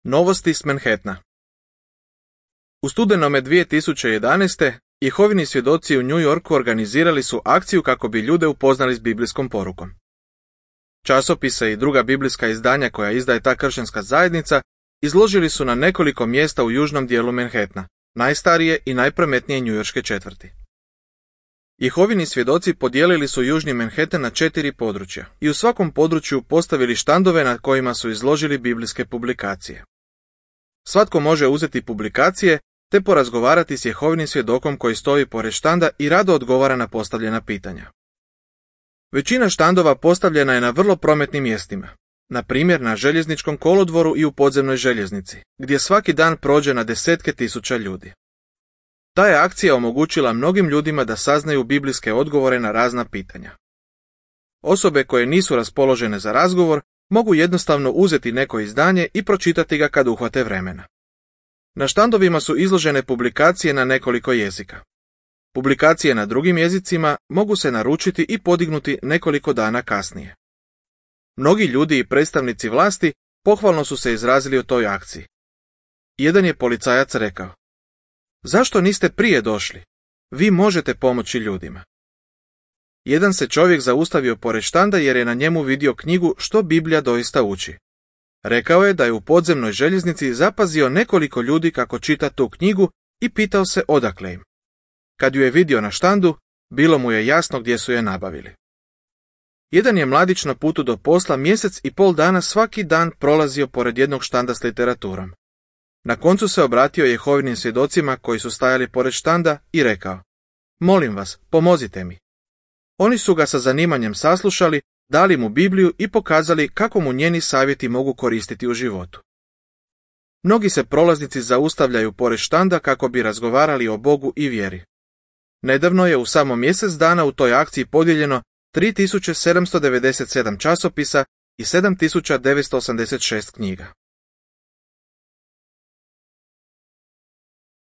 Novosti s Manhattana. U studenome 2011. Jehovini svjedoci u New Yorku organizirali su akciju kako bi ljude upoznali s biblijskom porukom. Časopise i druga biblijska izdanja koja izdaje ta kršćanska zajednica izložili su na nekoliko mjesta u južnom dijelu Manhattana, najstarije i najprometnije njujorške četvrti. Jehovini svjedoci podijelili su južni Manhattan na 4 područja i u svakom području postavili štandove na kojima su izložili biblijske publikacije. Svatko može uzeti publikacije te porazgovarati s Jehovinim svjedokom koji stoji pored štanda i rado odgovara na postavljena pitanja. Većina štandova postavljena je na vrlo prometnim mjestima, na primjer na željezničkom kolodvoru i u podzemnoj željeznici, gdje svaki dan prođe na desetke tisuća ljudi. Ta je akcija omogućila mnogim ljudima da saznaju biblijske odgovore na razna pitanja. Osobe koje nisu raspoložene za razgovor mogu jednostavno uzeti neko izdanje i pročitati ga kad uhvate vremena. Na štandovima su izložene publikacije na nekoliko jezika. Publikacije na drugim jezicima mogu se naručiti i podignuti nekoliko dana kasnije. Mnogi ljudi i predstavnici vlasti pohvalno su se izrazili o toj akciji. Jedan je policajac rekao: "Zašto niste prije došli? Vi možete pomoći ljudima." Jedan se čovjek zaustavio pored štanda jer je na njemu vidio knjigu Što Biblija doista uči. Rekao je da je u podzemnoj željeznici zapazio nekoliko ljudi kako čita tu knjigu i pitao se odakle im. Kad ju je vidio na štandu, bilo mu je jasno gdje su je nabavili. Jedan je mladić na putu do posla mjesec i pol dana svaki dan prolazio pored jednog štanda s literaturom. Na koncu se obratio Jehovinim svjedocima koji su stajali pored štanda i rekao: "Molim vas, pomozite mi." Oni su ga sa zanimanjem saslušali, dali mu Bibliju i pokazali kako mu njeni savjeti mogu koristiti u životu. Mnogi se prolaznici zaustavljaju pored štanda kako bi razgovarali o Bogu i vjeri. Nedavno je u samo mjesec dana u toj akciji podijeljeno 3797 časopisa i 7986 knjiga.